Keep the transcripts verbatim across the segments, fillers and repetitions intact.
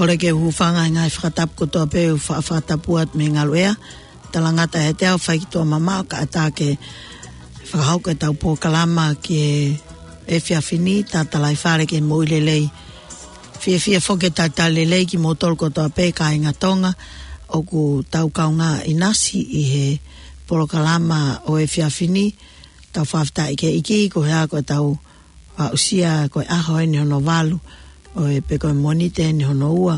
ʻOku lelei ke u hūfanga he ngaahi fakatapu kotoa pē ʻoku fa-, fakatapu atu mei he ngaluʻea. Talangata ʻiate au Faikituʻa Mamaʻo, kae ʻatā ke fakahoko ʻetau polokalama ki he efiafi ni, talitali fale ki he moʻui lelei. Fiefia foki ke talitali lelei kimoutolu kotoa pē kāinga Tonga ʻoku tau kaungā ʻinasi ʻi he polokalama ʻo e efiafi ni. Tau fakafetaʻi ki he ʻEiki koeʻuhi ko ʻetau aʻusia ko e ʻaho eni hono valu ʻo e, pe ko e Mōnite eni hono ua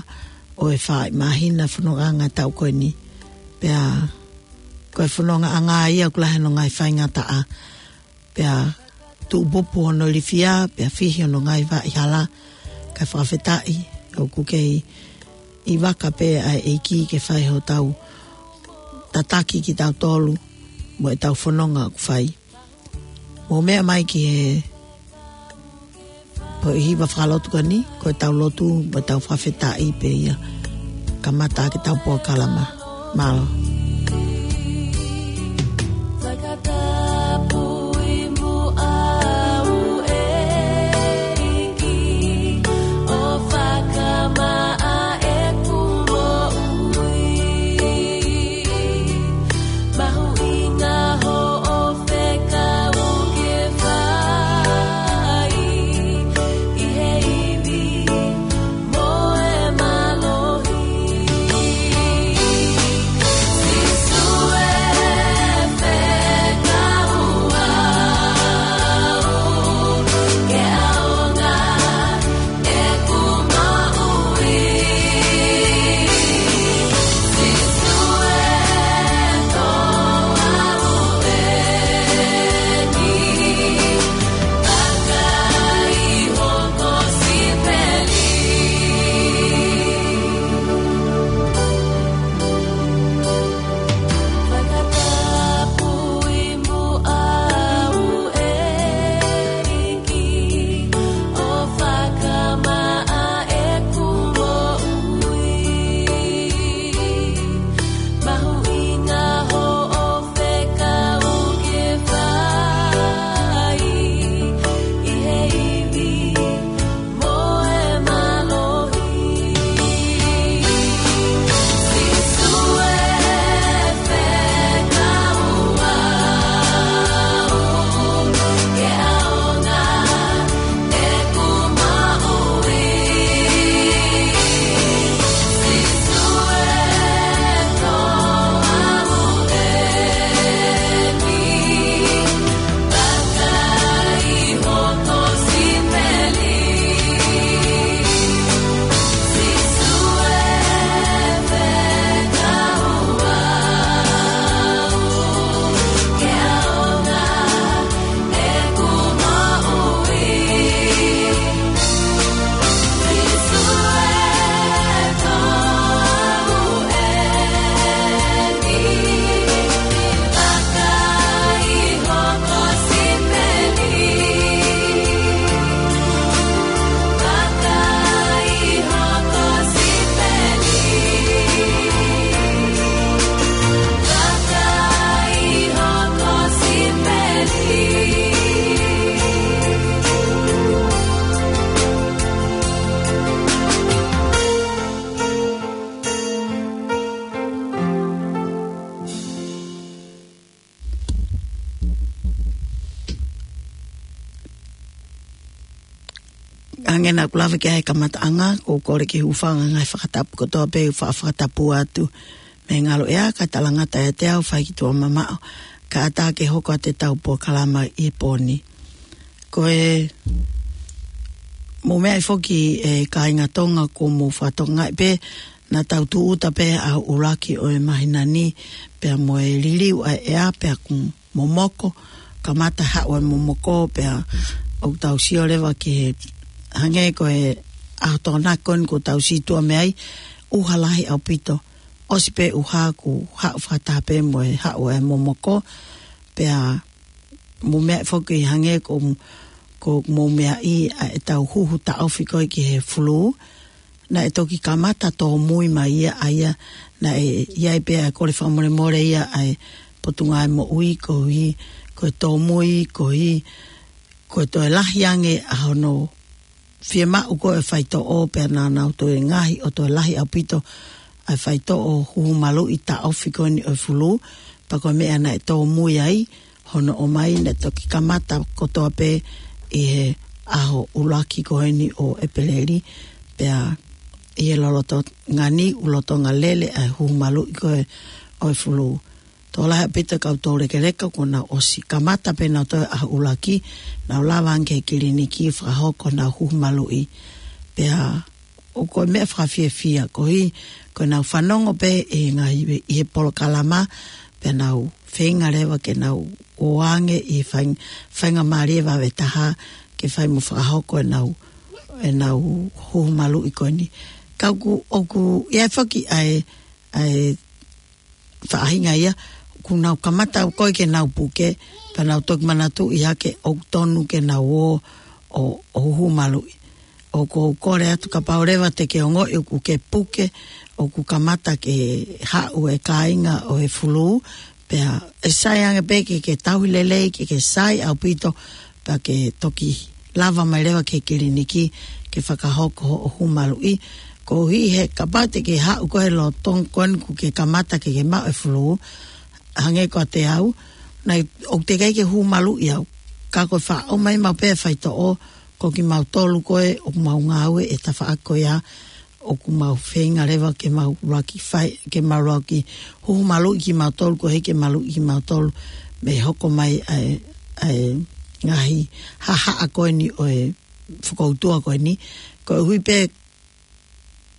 ʻo e fā māhina fonongaʻanga taʻu ko eni. Pea ko e fonongaʻanga ia ʻoku lahi hono ngaahi faingataʻa. Pea tuʻupupu hono ilifia, pea fihi hono ngaahi vaʻa hala. Kae fakafetaʻi ʻoku kei ʻi vaka pē ʻa e ʻEiki ke fai hotau tataki kitautolu mo ʻetau fononga ʻoku fai. Mou meʻa mai ki he poʻi hiva fakalotu ko eni, ko ʻetau lotu, mo ʻetau fakafetaʻi pē ia. Kamata ʻaki ʻetau polokalama. Mālō. Hangē naʻa ku lave ki ai he kamataʻanga, ʻoku ou kole ke u hūfanga he ngaahi fakatapu kotoa pē ʻoku fa-, fakatapu atu mei he ngaluʻea, kae talangata ʻiate au Faikituʻa Mamaʻo, kae ʻatā ke hoko atu ʻetau polokalama ʻi he pō ni. Ko e, mou meʻa mai foki ʻe kāinga Tonga, ko mou fakatokangaʻi pē, naʻa tau tūʻuta pē ʻa e ʻuluaki ʻo e māhina ni, pea mo e liliu ʻa e ʻea, pea kuo momoko, kamata haʻu e momoko, pea ʻoku tau sio leva ki he, hangē ko e ʻaho Tokonaki ko eni kuo tau sītuʻa mei ai, ʻuha lahi ʻaupito, ʻosi pē ʻuha kuo haʻu fakataha pē mo e haʻu e momoko, pea mou meʻa mai foki hangē ko, ko mou meʻa mai ʻa ʻetau huhu taʻofi ko ē ki he fulū, naʻe toki kamata tōmui mai ia ʻa ia, naʻe ʻi ai pē ʻa e kole fakamolemole ia ʻa e Potungāue Moʻui koeʻuhi, ko e tōmui koeʻuhi, ko e toe lahi ange ʻa hono fiemaʻu ko ē faitoʻo pea naʻa nau toe ngaohi ʻo toe lahi ʻaupito ʻa e faitoʻo huhu maluʻi taʻofi ko eni ʻo e fulū, pea ko e meʻa naʻe tōmui ai hono ʻomai naʻe toki kamata kotoa pē ʻi he ʻaho ʻuluaki ko eni ʻo ʻEpeleli, pea ʻi he lolotonga ni ʻoku lolotonga lele ʻa e huhu maluʻi ko ē ʻo e fulū. Tokolahi ʻaupito e kau toulekeleka kuo nau ʻosi kamata pē nau toe ʻaho ʻuluaki, nau lava ange ki he kiliniki fakahoko honau huhu maluʻi. Pea ʻoku ko e meʻa fakafiefia, koeʻuhi ko ʻenau fanongo pē ʻi he ngaahi, ʻi he polokalama, pea nau feinga leva ke nau ō ange ʻi he faing-, faingamālie vave taha ke fai mo fakahoko ʻenau, ʻenau huhu maluʻi ko eni. Ka ʻoku, ʻoku ʻi ai foki ʻa e, ʻa e faʻahinga ia, kuo nau kamata ko ē ke nau puke, pea nau toki manatuʻi hake ʻoku tonu ke nau ō ʻo, ʻo huhu maluʻi. ʻOku ou kole atu kapau leva te ke ongoʻi ʻoku ke puke, ʻoku kamata ke haʻu e kāinga ʻo e fulū, pea ʻe sai ange pē ke, ke tauhi lelei, ke, ke sai ʻaupito, pea ke toki lava mai leva ki he kiliniki ke fakahoko hoʻo huhu maluʻi. Koeʻuhi he kapau te ke haʻu ko ē he lolotonga ko eni kuo ke kamata ke, ke maʻu e fulū, hangē ko kiate au, naʻe, ʻoku teʻeki ai ke huhu maluʻi au. Ka ko e faʻa ʻomai maʻu pē e faitoʻo, ko kimautolu ko ē ʻoku mau ngāue he tafaʻaki ko ia, ʻoku mau feinga leva ke mau ʻuluaki fai, ke mau ʻuluaki huhu maluʻi kimautolu, koeʻuhi ke maluʻi kimautolu mei he hoko mai ʻa e, ʻa e ngaahi haʻahaʻa ko eni ʻo e fokoutua ko eni. Koeʻuhi pē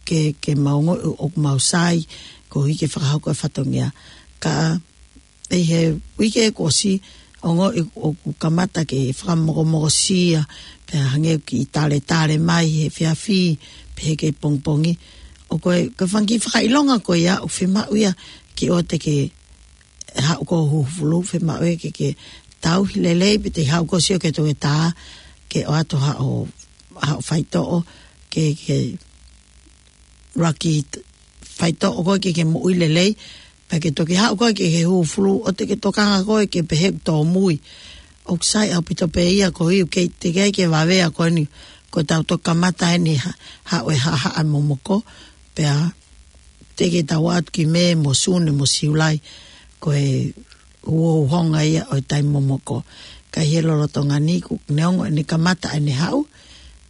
ke, ke mau ongoʻi ʻoku mau sai, koeʻuhi ke fakahoko e fatongia. Ka ʻi he uike kuo ʻosi, ongoʻi ʻoku kamata ke fakamokomokosia, pea hangē ʻoku kiʻi taletale mai he efiafi, pe he kei pongipongi. ʻOku ko e, ko e fanga kiʻi fakaʻilonga ko ia, ʻoku fiemaʻu ia ke ʻoua te ke haʻu ko ē ʻo huhu fulū, fiemaʻu ia ke, ke tauhi lelei, pe te haʻu ko ē ʻo sio ki he toketā, ke ʻoatu haʻo, haʻo faitoʻo, ke, ke ʻuluaki faitoʻo koe ke, ke moʻui lelei, pea ke toki haʻu koe ke, ke huhu fulū, ʻoua te ke tokanga koe ke pehē ʻoku tōmui. ʻOku sai ʻaupito pē ia koeʻuhi ʻoku kei teʻeki ai ke vave ʻa ko eni, ko ʻetau toki kamata eni ha-, haʻu e haʻahaʻa momoko, pea teʻeki ke tau ō atu ki Mē mo Sune mo Siulai, ko e uhouhonga ia ʻo e taimi momoko. Ka ʻi he lolotonga ni kuo neongo ʻene kamata ʻene haʻu,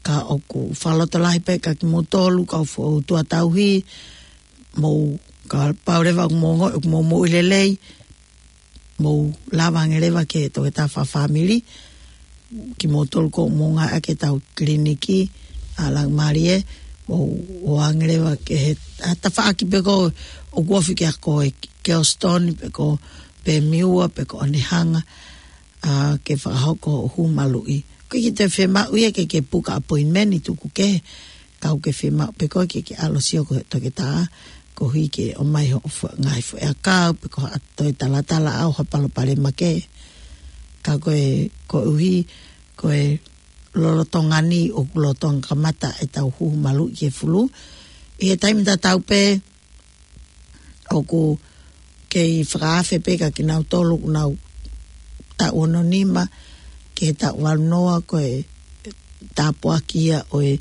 ka ʻoku fakalotolahi pē kiate kimoutolu, kau fokoutua tauhi, mou, kapau leva ʻoku mou ongoʻi ʻoku mou moʻui lelei, mou lava ange leva ki he toketā fakafāmili, kimoutolu ʻoku mou ngāueʻaki ʻetau kiliniki ʻa Laumālie, mou ō ange leva ki he, ʻa e tafaʻaki pē ko ē ʻoku ofi ki ai ko ē Kelston, pe ko Pemiua, pe ko Onehunga, ʻa, ke fakahoko huhu maluʻi. ʻOku ʻikai ke toe fiemaʻu ia ke, ke puka appointment ʻi tuku kehe, ka ʻoku ke fiemaʻu pē koe ke, ke ʻalu ʻo sio ki he toketā, koeʻuhi ke ʻomai hoʻo fo-, ngaahi foʻiʻakau, pe ko ha toe talatalaʻau, ha palopalema kehe. Ka ko e, koeʻuhi, ko e lolotonga ni ʻoku lolotonga kamata ʻetau huhu maluʻi ki he fulū. ʻI he taimi tatau pē, ʻoku kei fakaafe pē kiate kinautolu ʻoku nau taʻu ono nima ki he taʻu valu noa, ko e tāpuaki ia ʻo e,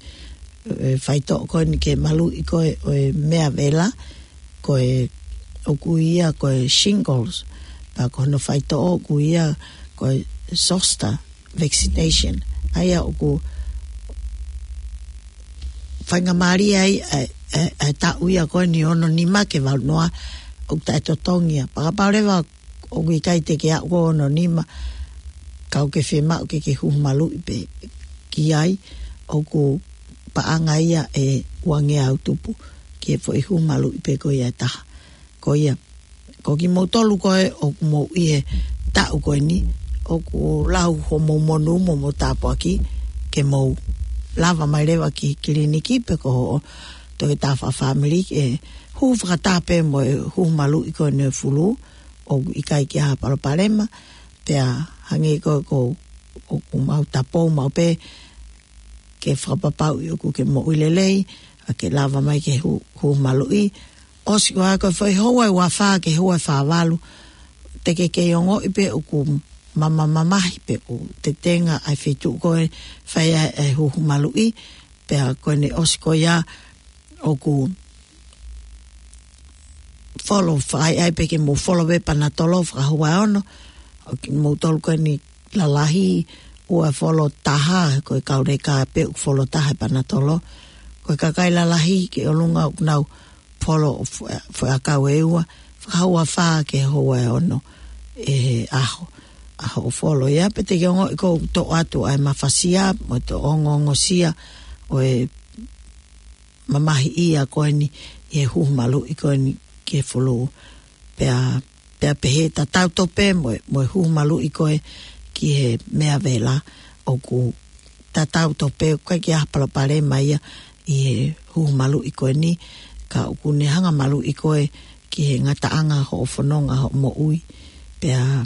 e faitoʻo ko eni ke maluʻi ko ē ʻo e meʻavela, ko e ʻoku ui ia ko e shingles, pea ko hono faitoʻo ʻoku ui ia ko e zoster vaccination. ʻA ia ʻoku faingamālie ai ʻa e, ʻa e, ʻa e taʻu ia ko eni ono nima ki he valu noa, ʻoku taʻetotongi ia. Pea kapau leva ʻoku ʻikai te ke aʻu ki he ono nima, ka ʻoku ke fiemaʻu ke ke huhu maluʻi pē ki ai, ʻoku paʻanga ia ʻe uangeau tupu ki he foʻi huhu maluʻi pē ko ia ʻe taha. Ko ia, ko kimoutolu ko ē ʻoku mou ʻi he taʻu ko eni, ʻoku lau homou monū mo hoʻomou tāpuaki ke mou lava mai leva ki he kiliniki pe ko hoʻo toketā fakafāmili ke huhu fakataha pē mo e huhu maluʻi ko eni ʻo e fulū, ʻoku ʻikai ke ʻi ai ha palopalema, pea hangē ko ē ʻoku, ʻoku mau tapou maʻu pē ke fakapapauʻi ʻoku ke moʻui lelei, ʻa ke lava mai ke hu-, huhu maluʻi. ʻOsi ko ia ko e foʻi houa ʻe uafā ki he houa ʻe fāvalu, te ke kei ongoʻi pē ʻoku mamamamahi pe ʻoku tetenga ʻa e feituʻu ko ē fai ai ʻa e huhu maluʻi, pea ko ʻene ʻosi ko ia ʻoku folo, fai ai pē ke mou folo pē panatolo fakahoua ʻe ono, ʻo kimoutolu ko eni lalahi, ʻoua folo taha, ko e kau leka pē ʻoku folo taha e panatolo, ko e kakai lalahi ki ʻolunga ʻoku nau folo fo-, foʻi ʻakau ʻe ua, fakahoua fā ki he houa ʻe ono ʻi he ʻaho, ʻaho ʻo folo ia, pea te ke ongoʻi ʻoku toʻo atu ʻa e mafasia, mo e toʻo ongoongosia ʻo e mamahiʻia ko eni ʻi he huhu maluʻi ko eni ki he fulū. Pea, pea pehē tatau tofu pē mo e, mo e huhu maluʻi ko ē ki he meʻa vela, ʻoku tatau tofu pē, ʻoku ʻikai ke ʻi ai ha palopalema ia ʻi he huhu maluʻi ko eni, ka ʻoku ne hanga maluʻi koe ki he ngataʻanga hoʻo fononga hoʻo moʻui. Pea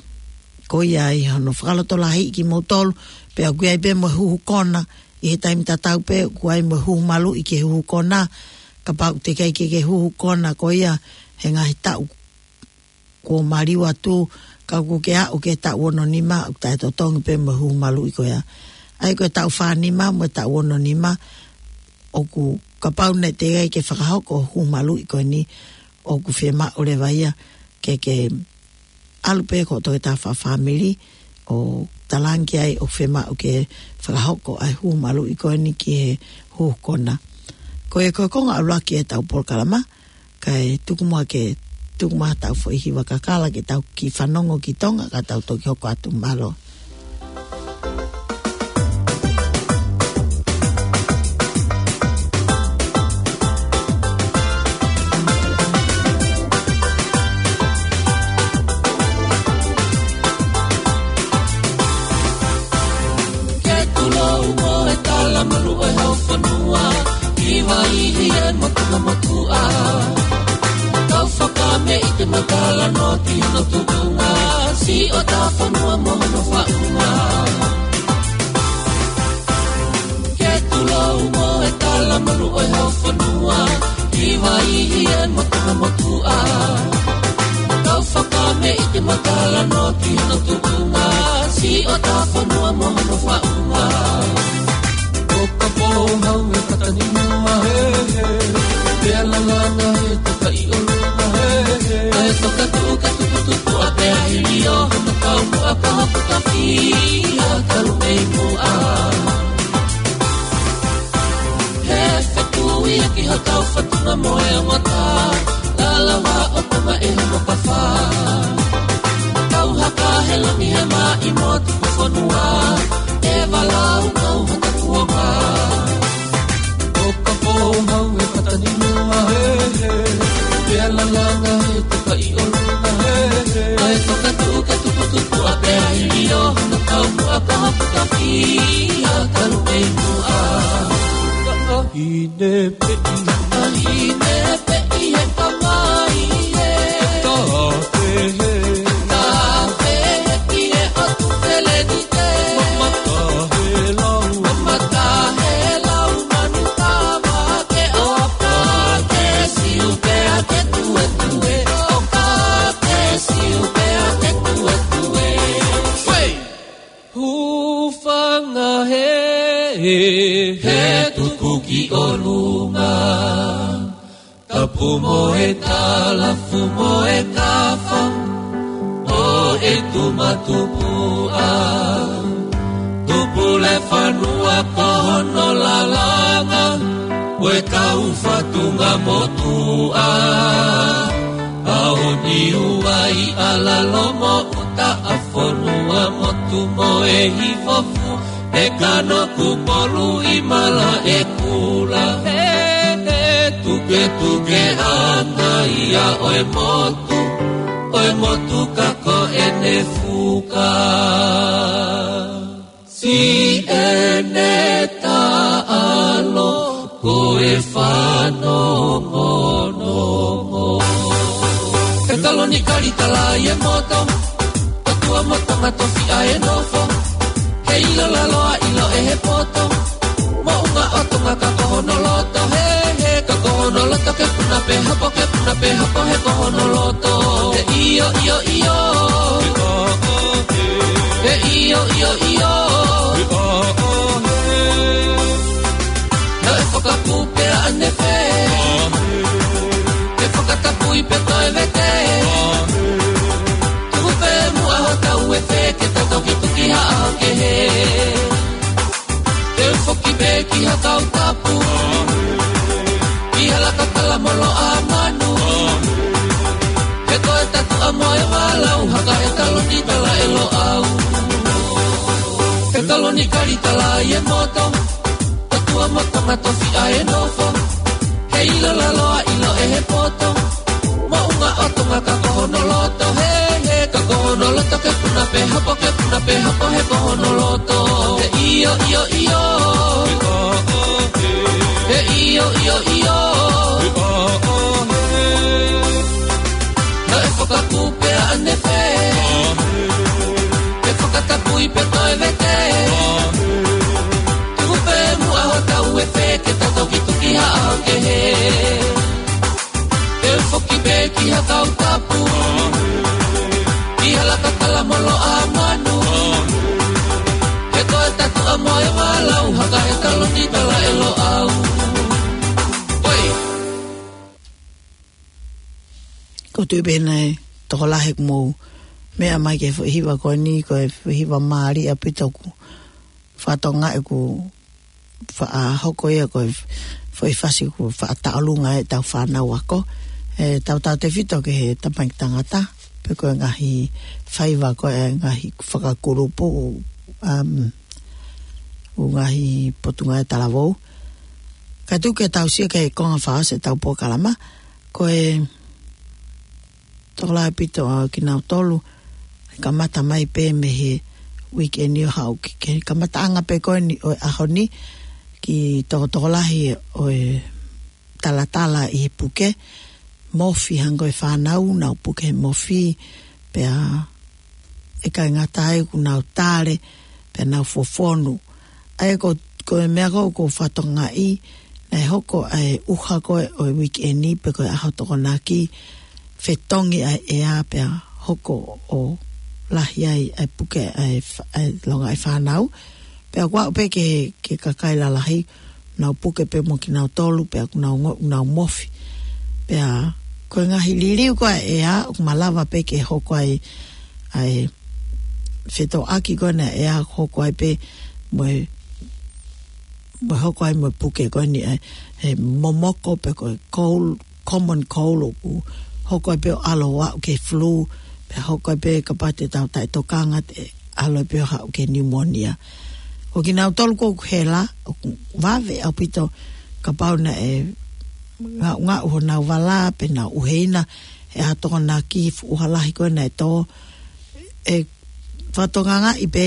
ko ia ai hono fakalotolahiʻi kimoutolu, pea ʻoku ʻi ai pē mo e huhu kona, ʻi he taimi tatau pē ʻoku ʻi ai mo e huhu maluʻi ki he huhu kona, kapau te ke ʻikai ke ke huhu kona ko ia he ngaahi taʻu kuo maliu atu, ka ʻoku ke aʻu ki he taʻu ono nima, ʻoku taʻetotongi pē mo e huhu maluʻi ko ia. ʻA ia ko e taʻu fā nima mo e taʻu ono nima, ʻoku kapau naʻe teʻeki ai ke fakahoko huhu maluʻi ko eni, ʻoku fiemaʻu leva ia ke ke ʻalu pē ki hoʻo toketā fakafāmili ʻo talaange ai ʻoku fiemaʻu ke fakahoko ʻa e huhu maluʻi ko eni ki he huhu kona. Ko ia ko e konga ʻuluaki ʻetau polokalama, kae tuku muʻa ke tuku mai haʻatau foʻi hiva kakala ke tau kiʻi fanongo ki Tonga, ka tau toki hoko atu, mālō. Ke tulou mo e talamalu ʻo e hau fonua, ʻi Vaiʻi ē mo Tongamotuʻa. Kau fakameʻite mo talanoa ki hono tuʻunga, siʻotau fonua mo hono faʻunga. Ke tulou mo e talamalu ʻo e hau fonua, ʻi Vaiʻi ē mo Tongamotuʻa. Kau fakameʻite mo talanoa ki hono tuʻunga, siʻotau fonua mo hono faʻunga. ʻO kapau hau e kata ni mua he he, pea lalanga he toka ʻi ʻolunga he he. ʻA e toka tuʻu ka tuputupuʻa pea hili ʻo hono kau muʻa ka hoku ka fia kalu mei muʻa. He fekui ʻaki hotau fatunga mo e ongota, lalawa ʻo Tonga ʻe hono kafa. Kau haka he langi he maʻi mo tuku fonua, ʻe valaunga ʻo hata kuonga. ʻO kapau hau e kata ni mua he he, pea lalanga he toka ʻi ʻolunga he he. ʻA e toka tuʻu ka tuputupuʻa pea hili ʻo hono kau muʻa ka hoku ka fia kalu mei muʻa. Ka ʻahine peʻi. ʻAhine peʻi he kamai ē. Ka pehe. Ka pehe ki he ʻotu feleni te. Mamata he lau. Mamata he lau manu kama ke ʻoka ke siu pea ke tuetue. ʻOka ke siu pea ke tuetue. Hūfanga he, he tuku ki ʻolunga. Kapu mo e talafu mo e kafa, ʻo e tumatupuʻa. Tupule fanua ko hono lalanga, ʻo e kau fatunga motuʻa. ʻAho Niuai, ʻAlalo mo ʻUta, ʻa Fonuamotu mo e Hifofua, ʻe Kanokupolu, ʻi Malaʻekula. He, he tuketukeʻanga ia ʻo e motu, ʻo e motu ka ko ʻene fuka. Siʻene taʻalo ko e fanongonongo. He taloni kali tala ʻi he moto, ʻOtua mo Tonga tofiʻa e nofo. He ʻilo lalo ʻa ʻilo ʻe he poto, moʻunga ʻo Tonga ka ko hono loto. He, he, ka ko hono loto ke puna pē hapo, ke puna pē hapo, he ko hono loto. He ʻio, ʻio, ʻio. He Loni kalitala ʻi he moto, tatua mo Tonga tofiʻa e nofo. He ʻilo lalo ʻa ʻilo ʻe he poto. Moʻunga ʻo Tonga ka ko hono loto. He, he, ka ko hono loto ke puna pē hopo, ke puna pē hopo, he ko hono loto. He ʻio, ʻio, ʻio. He ʻio, ʻio, ʻio. Naʻe fakakupe ʻa ʻAnefe. Ke fakatapui pē toe vete. Tuku pē muʻa hotau efe ke tau toki tuki haʻa kehe. Ke foki pē ki ha kau tapu. Ki ha laka kala molo ʻa manu. He ko e tatu ʻa moe ʻa lau haka he taloni tala ʻe Loʻau. Oi. Ko tui pē naʻe tokolahi ʻeku mou meʻa mai ki he foʻi hiva ko eni, ko e foʻi hiva mālie ʻaupito ʻoku fatongia ʻeku faʻa hoko ia ko e foʻi fasi ʻoku faʻa taʻolunga ʻetau fānau ako. ʻE tautautefito ki he tamaiki tangata, pe ko e ngaahi faiva ko e ngaahi fakakulupu, um, ʻo e ngaahi potungāue talavou. Ka tuku ke tau sio ki he konga fā ʻo ʻetau polokalama, ko e tokolahi ʻaupito ʻa kinautolu, kamata mai pē mei he weekend ʻo haʻu ki he kamataʻanga pē ko eni ʻo e ʻaho ni, ki he tokolahi ʻo e talatala ʻi he puke, mofi hangē ko e fānau, nau puke he mofi, pea ʻikai ngata ai ʻoku nau tale, pea nau fofonu. ʻA ia ko, ko e meʻa ko, ko e fatongia, naʻe hoko ʻa e ʻuha ko ē ʻo e weekend pe ko e ʻaho Tokonaki, fetongi ʻa e ʻea pea hoko ʻo lahi ai ʻa e puke ʻa e fa-, ʻa e longaʻi fānau. Pea ʻoku aʻu pē ki he, ki he kakai lalahi, nau puke pē mo kinautolu, pea ʻoku nau ngo-, nau mofi. Pea ko e ngaahi liliu ko ē ʻa e ʻea, ʻoku malava pē ke hoko ai ʻa e fetōʻaki ko ena ʻea, hoko ai pē mo e, mo e hoko ai mo e puke ko eni ʻa e, he momoko pe ko e cold, common cold ʻoku hoko ai pē ʻo ʻalu ʻo aʻu ki he flu, pea hoko ai pē kapau te tau taʻetokanga te ʻalu ai pē ʻo haʻu ki he pneumonia. Ko kinautolu ko ē ʻoku hela, ʻoku vave ʻaupito kapau naʻe ngaʻungaʻu honau vala, pe nau ʻuheina he ʻaho Tokonaki, fuʻu ʻuha lahi ko ē naʻe tō, ʻe fatongiaʻi pē,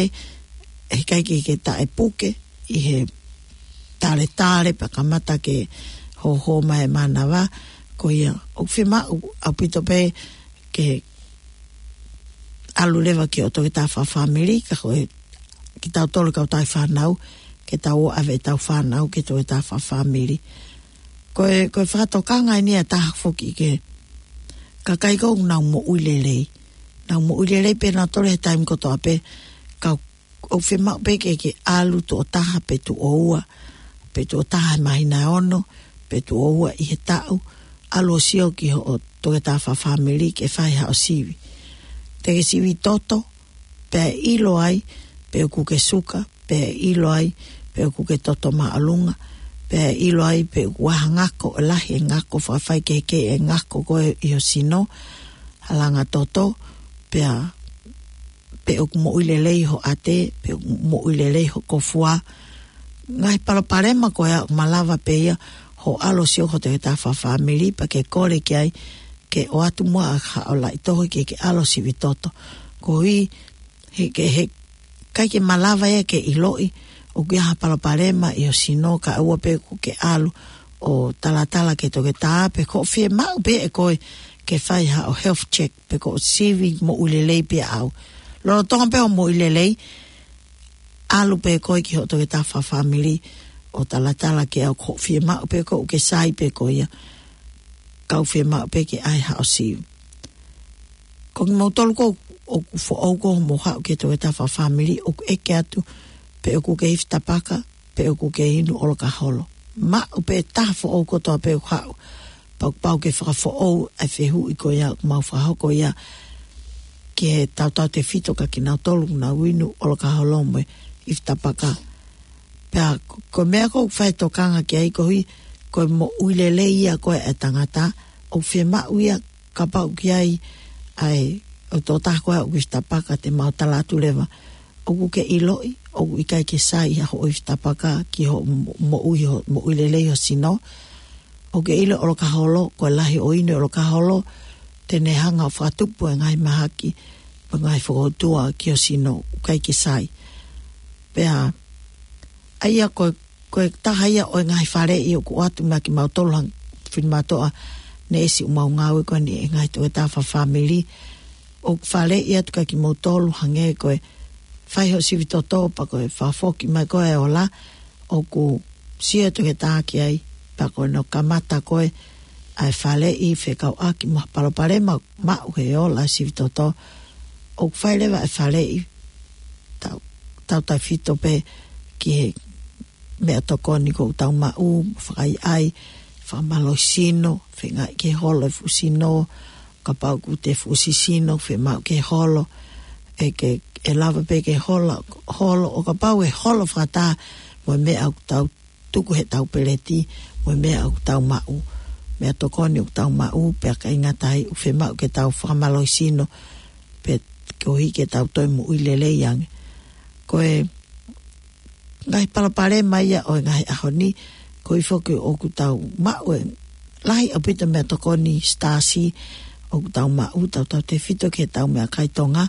ʻe ʻikai ke, ke taʻepuke ʻi he taletale, pea kamata ke hōhō mai e mānava, ko ia ʻoku fiemaʻu ʻaupito pē ke ʻalu leva ki hoʻo toketā fakafāmili, ka ko e kitautolu kau tauhi fānau, ke tau ō ʻave ʻetau fānau ki he toketā fakafāmili. Ko e, ko e fakatokanga eni ʻa e taha foki ki he kakai ko ē ʻoku nau moʻui lelei. Nau moʻui lelei pē nautolu he taimi kotoa pē, ka ʻoku fiemaʻu pē ke, ke ʻalu tuʻo taha pe tuʻo ua, pe tuʻo taha he māhina ʻe ono, pe tuʻo ua ʻi he taʻu, ʻalu ʻo sio ki hoʻo toketā fakafāmili ke fai haʻo sivi. Te ke sivi toto, pea ʻe ʻilo ai pe ʻoku ke suka, pea ʻe ʻilo ai pe ʻoku ke toto māʻolunga, pea ʻe ʻilo ai pe ʻoku ʻi ai ha ngako, ʻe lahi e ngako, fakafaikehekehe e ngako ko ē ʻi ho sino, halanga toto, pea pe ʻoku moʻui lelei ho ʻate, pe ʻoku moʻui lelei ho kofua. Ngaahi palopalema ko ia ʻoku malava pē ia hoʻo ʻalu ʻo sio ki hoʻo toketā fakafāmili pea ke kole ki ai ke ʻoatu muʻa haʻo laʻi tohi ke ke ʻalu ʻo sivi toto. Koeʻuhi he ke, he ʻikai ke malava ia ke ʻiloʻi ʻoku ʻi ai ha palopalema ʻi ho sino kae ʻoua pē ʻoku ke ʻalu ʻo talatala ki he toketā, pe ko e fiemaʻu pē ʻe koe ke fai haʻo health check pe ko e sivi moʻui lelei pē ʻaʻau. Lolotonga pē hoʻo moʻui lelei, ʻalu pē koe ki hoʻo toketā fakafāmili ʻo talatala ki ai, ko e fiemaʻu pē ʻe koe ke sai pē ko ia, kae fiemaʻu pē ke ʻai haʻo sivi. Ko kimoutolu ko ē ʻoku foʻou ko ē hoʻomou haʻu ki he toketā fakafāmili, ʻoku ʻeke atu pe ʻoku ke ifi tapaka, pe ʻoku ke inu ʻolokaholo. Maʻu pē taha foʻou kotoa pē ʻoku haʻu, pea ʻoku pau ke fakafoʻou ʻa e fehuʻi ko ia ʻoku mau fakahoko ia ki he tautautefito kia kinautolu ʻoku nau inu ʻolokaholo mo e ifi tapaka. Pea ko, ko e meʻa ko ē ʻoku fai e tokanga ki ai koeʻuhi ko e moʻui lelei ia ko ē ʻa e tangata, ʻoku fiemaʻu ia kapau ʻoku ʻi ai ʻa e, ʻa e tokotaha ko ē ʻoku ifi tapaka, te mau tala atu leva ʻoku ke ʻiloʻi ʻoku ʻikai ke sai ha hoʻo ifi tapaka ki hoʻo mo-, moʻui, hoʻo moʻui lelei ho sino. ʻOku ke ʻilo ʻolokaholo, ko e lahi ʻo e inu ʻolokaholo, te ne hanga ʻo fakatupu e ngaahi mahaki, mo e ngaahi fokoutua ki ho sino, ʻoku ʻikai ke sai. Pea, ʻa ia ko, ko e taha ia ʻo e ngaahi faleʻi ʻoku ʻoatu maʻa kimautolu hangē ko e finemātuʻa neʻesi ʻoku mau ngāue ko eni he ngaahi toketā fakafāmili. ʻOku faleʻi atu kia kimoutolu hangē ko e fai ho sivi toto pea ko e fakafoki mai ko ē e ola, ʻoku sio e toketā ki ai, pea ko ʻene kamata ko ē ʻa e faleʻi fekauʻaki mo ha palopalema maʻu he ola e sivi toto. ʻOku fai leva e faleʻi tau, tautautefito pē ki he meʻatokoni ʻoku tau maʻu, fakaʻaiʻai, fakamālohisino, feingaʻi ke holo e fuʻu sino, kapau ʻoku te fuʻu sisino, fiemaʻu ke holo, ʻe ke, ʻe lava pē ke holo, holo, ʻo kapau ʻe holo fakataha mo e meʻa ʻoku tau tuku heʻetau peleti, mo e meʻa ʻoku tau maʻu, meʻatokoni ʻoku tau maʻu, pea ʻikai ngata ai, ʻoku fiemaʻu ke tau fakamālohisino, pea koeʻuhi ke tau toe moʻui lelei ange. Ko e ngaahi palopalema ia ʻo e ngaahi ʻaho ni, koeʻuhi foki ʻoku tau maʻu e lahi ʻaupito meʻatokoni sitaasi ʻoku tau maʻu, tautautefito ki heʻetau meʻakai Tonga,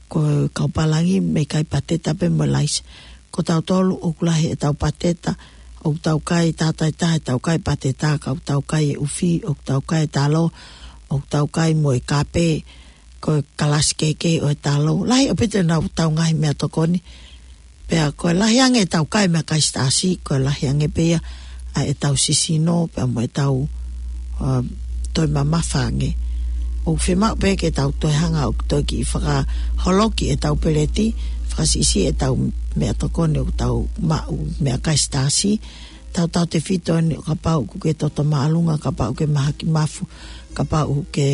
ko e kau pālangi mei kai pateta pē mo e laisi. Ko tautolu ʻoku lahi ʻetau pateta, ʻoku tau kai tātaitaha ʻetau kai pateta, ka ʻoku tau kai e ʻufi, ʻoku tau kai e talo, ʻoku tau kai mo e kape, ko e kalasi kehekehe ʻo e talo. Lahi ʻaupito ʻenau tau ngaahi meʻatokoni. Pea ko e lahi ange ʻetau kai meʻakai sitaasi, ko e lahi ange pē ia ʻa ʻetau sisino, pea mo ʻetau, um, toe mamafa ange. ʻOku fiemaʻu pē ke tau toe hanga ʻo toe kiʻi fakaholoki ʻetau peleti, fakasiʻisiʻi ʻetau meʻatokoni ʻoku tau maʻu meʻakai sitaasi, tautautefito eni ʻo kapau ʻoku ke toto māʻolunga, kapau ʻoku ke mahaki mafu, kapau ʻoku ke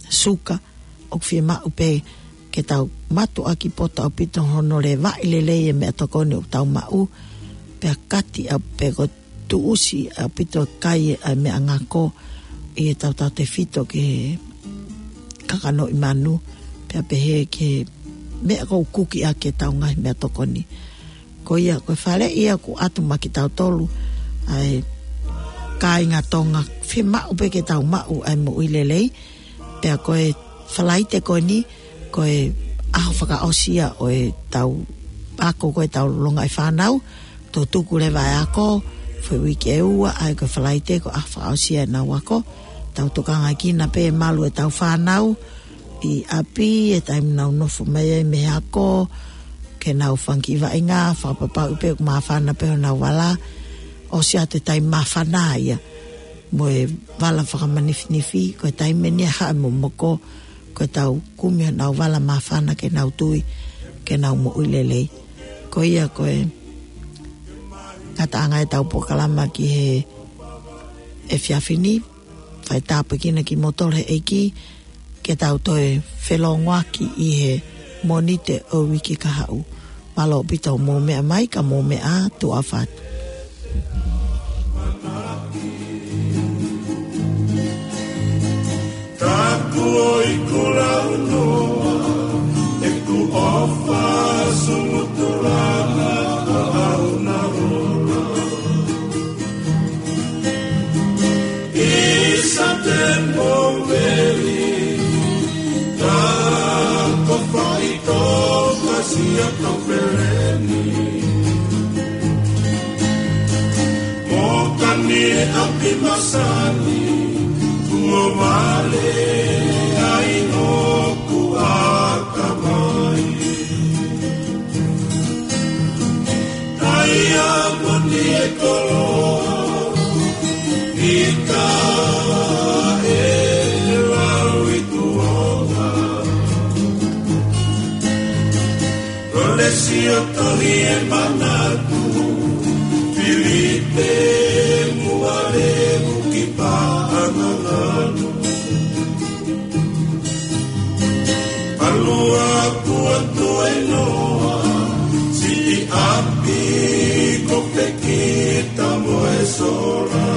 suka, ʻoku fiemaʻu pē ke tau mātuʻaki poto ʻaupito hono levaʻi lelei e meʻatokoni ʻoku tau maʻu, pea kati ʻa pē ko e tuʻusi ʻaupito kai ʻa e meʻangako ʻi he tautautefito ki he kakanoʻi manu, pea pehē ki he meʻa ʻoku kuki ʻaki ʻetau ngaahi meʻatokoni. Ko ia, ko e faleʻi ia ʻoku ʻoatu maʻa kitautolu, ʻa e kāinga Tonga, fiemaʻu pē ke tau maʻu ʻa e moʻui lelei, pea ko e Falaite ko eni, ko e ʻaho fakaʻosi ia ʻo ʻetau ako ko ē ʻetau longaʻi fānau, tau tuku leva e ako, foʻi uike ʻe ua, ʻa ia ko e Falaite ko e ʻaho fakaʻosi ia ʻenau ako, tau tokangaʻi kinautolu pē malu ʻetau fānau, ʻi ʻapi, ʻi he taimi ʻoku nau nofo mai ai mei he ako, ke nau fanga kiʻi vaʻinga, fakapapauʻi pē ʻoku māfana pē honau vala, ʻosi atu e taimi māfana ia, mo e vala fakamanifinifi, ko e taimi eni ia haʻu e momoko, ko ʻetau kumi honau vala māfana ke nau tui, ke nau moʻui lelei. Ko ia ko e ngataʻanga ʻetau polokalama ki he efiafi ni, fai tāpuekina kimoutolu he ʻEiki, ke tau toe felōngoaki ʻi he Mōnite ʻo e uike kahaʻu. Mālō ʻaupito hoʻomou meʻa mai, ka mou meʻa ā, tuʻa ʻofa atu. Taku ʻoi kulaunoa, ʻeku ʻofa sumutu lava ʻa au na rola. Isa te moveli, ta ko faito ka sia to peleni. Mo kani e ʻapi masani, mo vale ai ʻoku aka mai. Ai a moni e koloa, ika e lau i kuonga. Lolesi ʻo tohi e manatu, Filipe muale uki paʻanga nganu. Palua kua toe noa, siʻi ʻapi ko pekita mo e sola.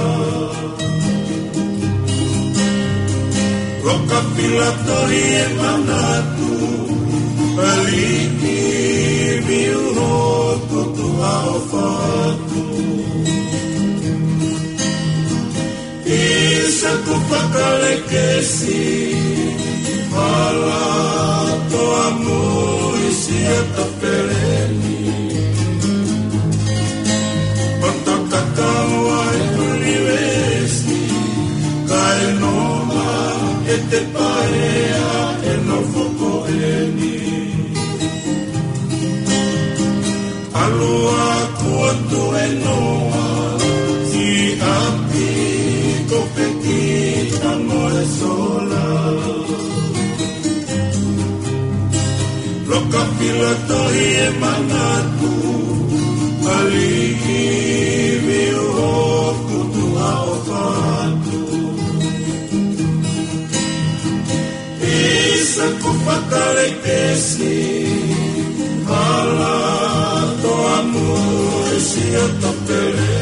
Loka pila tohi e manatu, aliʻi ʻofa atu. ʻIsa ko Fakalekesi, hala toa mui sia tapeleni. Pata kakawa e ʻunivēsi, kae noa e te paea e nofo ko eni. ʻAlu ʻa Kuo Tuʻenoa ki ʻapi ko Peki ʻa Moesola. Loka pila tohi e manatu, aliʻi viu hoku tuʻa ʻofa atu. ʻIsa ko Fakalekesi, hala toa mui sia tapele.